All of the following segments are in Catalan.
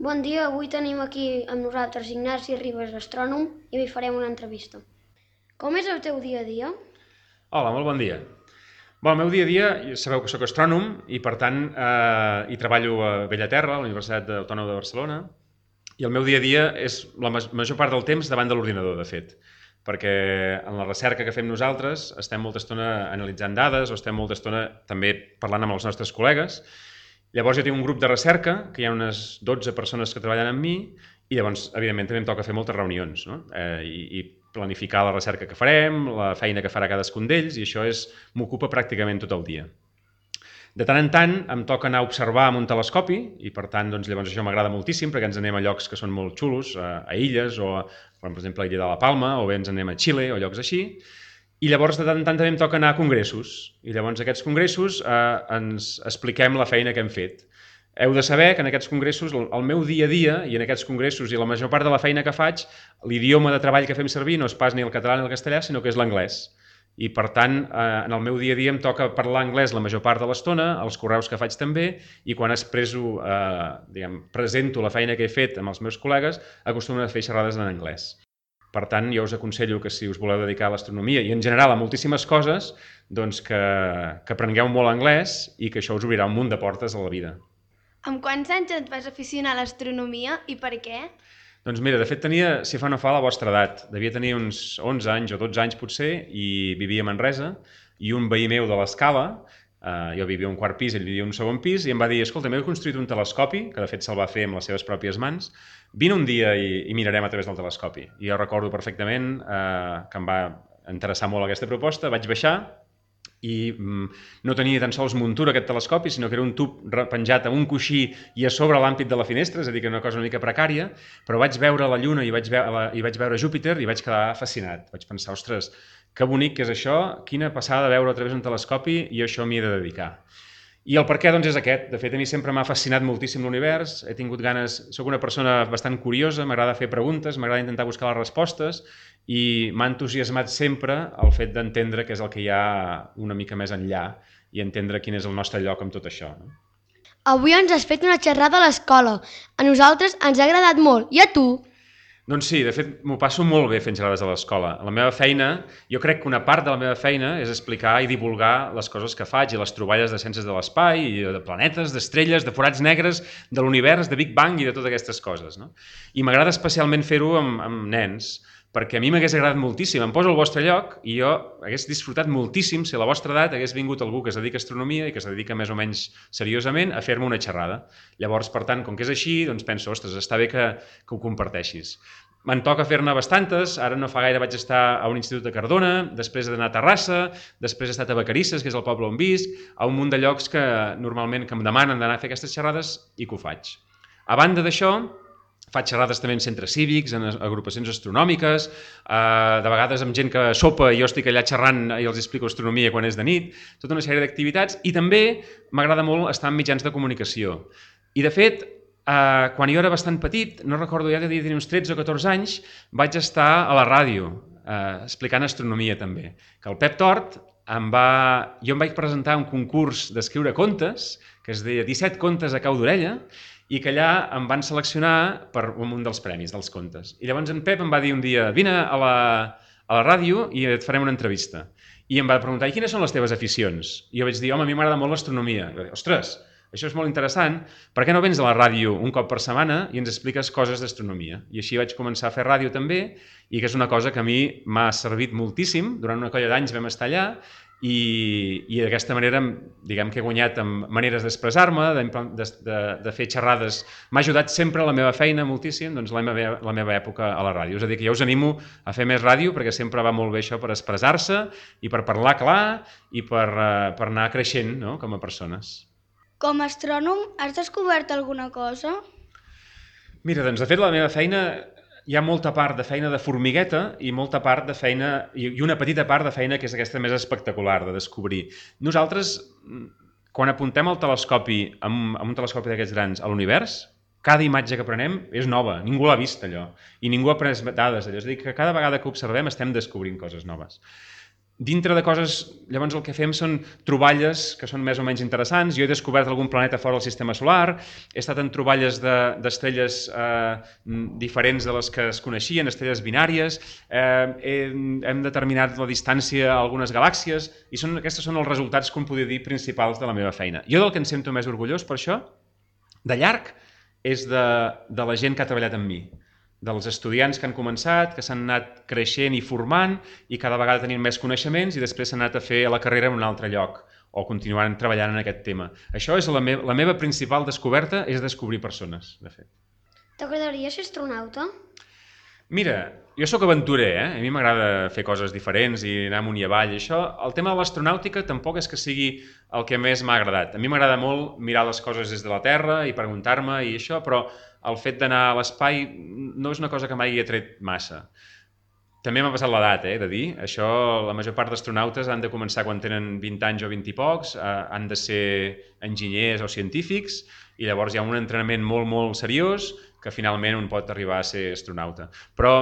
Bon dia, avui tenim aquí amb nosaltres Ignasi Ribas, astrònom, i li farem una entrevista. Com és el teu dia a dia? Hola, molt bon dia. El meu dia a dia, sabeu que sóc astrònom i per tant hi treballo a Bellaterra, a la Universitat Autònoma de Barcelona, i el meu dia a dia és la major part del temps davant de l'ordinador, de fet, perquè en la recerca que fem nosaltres estem molta estona analitzant dades o estem molta estona també parlant amb els nostres col·legues. Llavors jo tinc un grup de recerca, que hi ha unes 12 persones que treballen amb mi, i llavors, evidentment, també em toca fer moltes reunions, no? I planificar la recerca que farem, la feina que farà cadascun d'ells, i això m'ocupa pràcticament tot el dia. De tant en tant em toca anar a observar amb un telescopi, i per tant, doncs, llavors això m'agrada moltíssim, perquè ens anem a llocs que són molt xulos, a illes, o per exemple a l'illa de la Palma, o bé ens anem a Xile, o llocs així. I llavors de tant en tant també em toca anar a congressos, i llavors aquests congressos ens expliquem la feina que hem fet. Heu de saber que en aquests congressos, el meu dia a dia, i en aquests congressos i la major part de la feina que faig, l'idioma de treball que fem servir no és pas ni el català ni el castellà, sinó que és l'anglès. I per tant, en el meu dia a dia em toca parlar anglès la major part de l'estona, els correus que faig també, i quan presento la feina que he fet amb els meus col·legues, acostumo a fer xerrades en anglès. Per tant, jo us aconsello que si us voleu dedicar a l'astronomia i en general a moltíssimes coses, doncs que aprengueu molt anglès i que això us obrirà un munt de portes a la vida. Amb quants anys et vas aficionar a l'astronomia i per què? Doncs mira, de fet tenia, si fa no fa, la vostra edat. Devia tenir uns 11 anys o 12 anys potser i vivia a Manresa i un veí meu de l'Escala, jo vivia a un quart pis, ell vivia a un segon pis, i em va dir, escolta, m'he construït un telescopi, que de fet se'l va fer amb les seves pròpies mans, vine un dia i mirarem a través del telescopi. I jo recordo perfectament que em va interessar molt aquesta proposta, vaig baixar, i no tenia tan sols muntura aquest telescopi, sinó que era un tub penjat a un coixí i a sobre l'ampit de la finestra, és a dir, que era una cosa una mica precària, però vaig veure la Lluna i vaig veure Júpiter i vaig quedar fascinat. Vaig pensar, ostres, que bonic que és això, quina passada veure a través d'un telescopi, i això m'hi he de dedicar. I el per què, doncs, és aquest. De fet, a mi sempre m'ha fascinat moltíssim l'univers, he tingut ganes, soc una persona bastant curiosa, m'agrada fer preguntes, m'agrada intentar buscar les respostes, i m'ha entusiasmat sempre el fet d'entendre què és el que hi ha una mica més enllà i entendre quin és el nostre lloc amb tot això. No? Avui ens has fet una xerrada a l'escola. A nosaltres ens ha agradat molt. I a tu? Doncs sí, de fet, m'ho passo molt bé fent xerrades a l'escola. A la meva feina, jo crec que una part de la meva feina és explicar i divulgar les coses que faig i les troballes de ciències de l'espai, i de planetes, d'estrelles, de forats negres, de l'univers, de Big Bang i de totes aquestes coses. No? I m'agrada especialment fer-ho amb nens, perquè a mi m'hagués agradat moltíssim, em poso al vostre lloc i jo hagués disfrutat moltíssim si a la vostra edat hagués vingut algú que es dedica a astronomia i que es dedica més o menys seriosament a fer-me una xerrada. Llavors, per tant, com que és així, doncs penso, ostres, està bé que ho comparteixis. Me'n toca fer-ne bastantes, ara no fa gaire vaig estar a un institut de Cardona, després he d'anar a Terrassa, després he estat a Vacarisses, que és el poble on visc, a un munt de llocs que normalment que em demanen d'anar a fer aquestes xerrades i que ho faig. A banda d'això, faig xerrades també en centres cívics, en agrupacions astronòmiques, de vegades amb gent que sopa i jo estic allà xerrant i els explico astronomia quan és de nit, tota una sèrie d'activitats, i també m'agrada molt estar en mitjans de comunicació. I de fet, quan jo era bastant petit, no recordo, ja devia tenir uns 13 o 14 anys, vaig estar a la ràdio explicant astronomia també, que el Pep Tort jo em vaig presentar un concurs d'escriure contes, que es deia 17 contes a cau d'orella, i que allà em van seleccionar per un dels premis dels contes. I llavors en Pep em va dir un dia, vine a la ràdio i et farem una entrevista. I em va preguntar, i quines són les teves aficions? I jo vaig dir, home, a mi m'agrada molt l'astronomia. I va dir, ostres, això és molt interessant, per què no vens a la ràdio un cop per setmana i ens expliques coses d'astronomia? I així vaig començar a fer ràdio també, i que és una cosa que a mi m'ha servit moltíssim. Durant una colla d'anys vam estar allà, i d'aquesta manera, diguem que he guanyat amb maneres d'expressar-me, de fer xerrades. M'ha ajudat sempre la meva feina moltíssim, doncs la meva època a la ràdio. És a dir, que jo us animo a fer més ràdio perquè sempre va molt bé això per expressar-se i per parlar clar i per anar creixent, no?, com a persones. Com a astrònom, has descobert alguna cosa? Mira, doncs de fet la meva feina hi ha molta part de feina de formigueta i molta part de feina, i una petita part de feina que és aquesta més espectacular de descobrir. Nosaltres, quan apuntem el telescopi, amb un telescopi d'aquests grans, a l'univers, cada imatge que prenem és nova, ningú l'ha vist allò, i ningú ha pres dades allò, és a dir, que cada vegada que observem estem descobrint coses noves. dintre de coses, llavors el que fem són troballes que són més o menys interessants. Jo he descobert algun planeta fora del sistema solar, he estat en troballes d'estrelles diferents de les que es coneixien, estrelles binàries, hem determinat la distància a algunes galàxies i aquests són els resultats, com podria dir, principals de la meva feina. Jo del que em sento més orgullós per això, de llarg, és de la gent que ha treballat amb mi, dels estudiants que han començat, que s'han anat creixent i formant i cada vegada tenint més coneixements i després s'han anat a fer la carrera en un altre lloc o continuant treballant en aquest tema. Això és la meva principal descoberta, és descobrir persones, de fet. T'agradaria ser astronauta? Mira, jo sóc aventurer, a mi m'agrada fer coses diferents i anar amunt i avall. El tema de l'astronàutica tampoc és que sigui el que més m'ha agradat. A mi m'agrada molt mirar les coses des de la Terra i preguntar-me i això, però el fet d'anar a l'espai no és una cosa que mai he tret massa. També m'ha passat l'edat, de dir. Això, la major part d'astronautes han de començar quan tenen 20 anys o 20 i pocs, han de ser enginyers o científics, i llavors hi ha un entrenament molt, molt seriós que finalment un pot arribar a ser astronauta. Però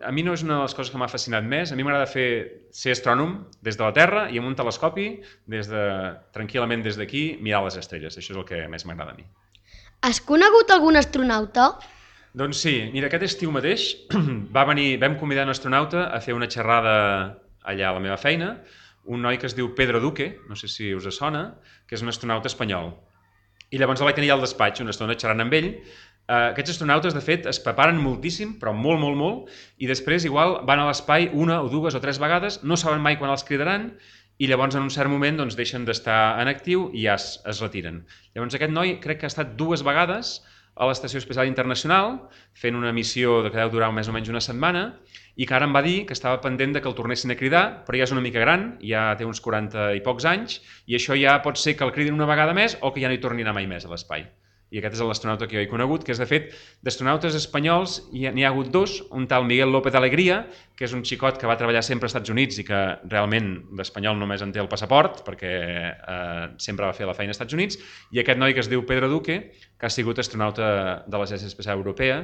a mi no és una de les coses que m'ha fascinat més. A mi m'agrada ser astrònom des de la Terra i amb un telescopi, tranquil·lament des d'aquí, mirar les estrelles. Això és el que més m'agrada a mi. Has conegut algun astronauta? Doncs sí, mira, aquest estiu mateix vam convidar un astronauta a fer una xerrada allà a la meva feina, un noi que es diu Pedro Duque, no sé si us sona, que és un astronauta espanyol. I llavors el vaig tenir al despatx una estona xerrant amb ell. Aquests astronautes, de fet, es preparen moltíssim, però molt, molt, molt, i després igual van a l'espai una o dues o tres vegades, no saben mai quan els cridaran, i llavors en un cert moment deixen d'estar en actiu i ja es retiren. Llavors aquest noi crec que ha estat 2 vegades a l'Estació Espacial Internacional fent una missió que deu durar més o menys una setmana i que ara em va dir que estava pendent que el tornessin a cridar, però ja és una mica gran, ja té uns 40 i pocs anys i això ja pot ser que el cridin una vegada més o que ja no hi torni a anar mai més a l'espai. I aquest és l'astronauta que jo he conegut, que és, de fet, d'astronautes espanyols n'hi ha hagut 2, un tal Miguel López Alegría, que és un xicot que va treballar sempre als Estats Units i que realment d'espanyol només en té el passaport, perquè sempre va fer la feina als Estats Units, i aquest noi que es diu Pedro Duque, que ha sigut astronauta de l'Agència Espacial Europea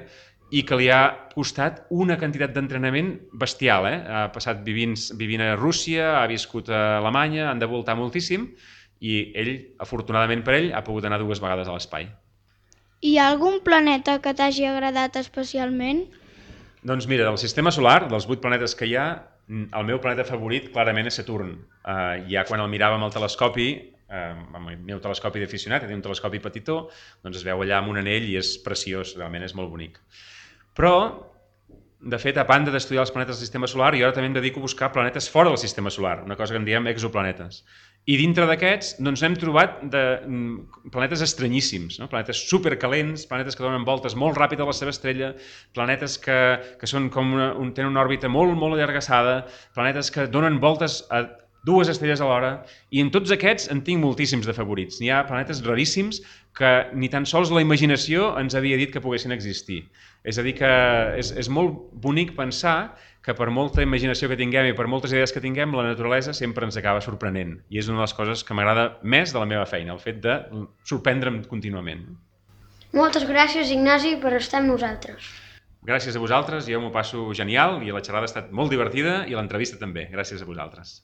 i que li ha costat una quantitat d'entrenament bestial. Ha passat vivint a Rússia, ha viscut a Alemanya, han de voltar moltíssim, i ell, afortunadament per ell, ha pogut anar 2 vegades a l'espai. Hi ha algun planeta que t'hagi agradat especialment? Doncs mira, del sistema solar, dels 8 planetes que hi ha, el meu planeta favorit clarament és Saturn. Ja quan el miràvem al telescopi, amb el meu telescopi d'aficionat, un telescopi petitó, doncs es veu allà amb un anell i és preciós, realment és molt bonic. Però, de fet, a banda d'estudiar els planetes del sistema solar, jo ara també em dedico a buscar planetes fora del sistema solar, una cosa que en diem exoplanetes. I dintre d'aquests hem trobat planetes estranyíssims, planetes supercalents, planetes que donen voltes molt ràpid a la seva estrella, planetes que són tenen una òrbita molt, molt allargassada, planetes que donen voltes a 2 estrelles alhora, i en tots aquests en tinc moltíssims de favorits. N'hi ha planetes raríssims que ni tan sols la imaginació ens havia dit que poguessin existir. És a dir, que és molt bonic pensar que per molta imaginació que tinguem i per moltes idees que tinguem, la naturalesa sempre ens acaba sorprenent. I és una de les coses que m'agrada més de la meva feina, el fet de sorprendre'm contínuament. Moltes gràcies, Ignasi, per estar amb nosaltres. Gràcies a vosaltres, jo m'ho passo genial i la xerrada ha estat molt divertida i l'entrevista també. Gràcies a vosaltres.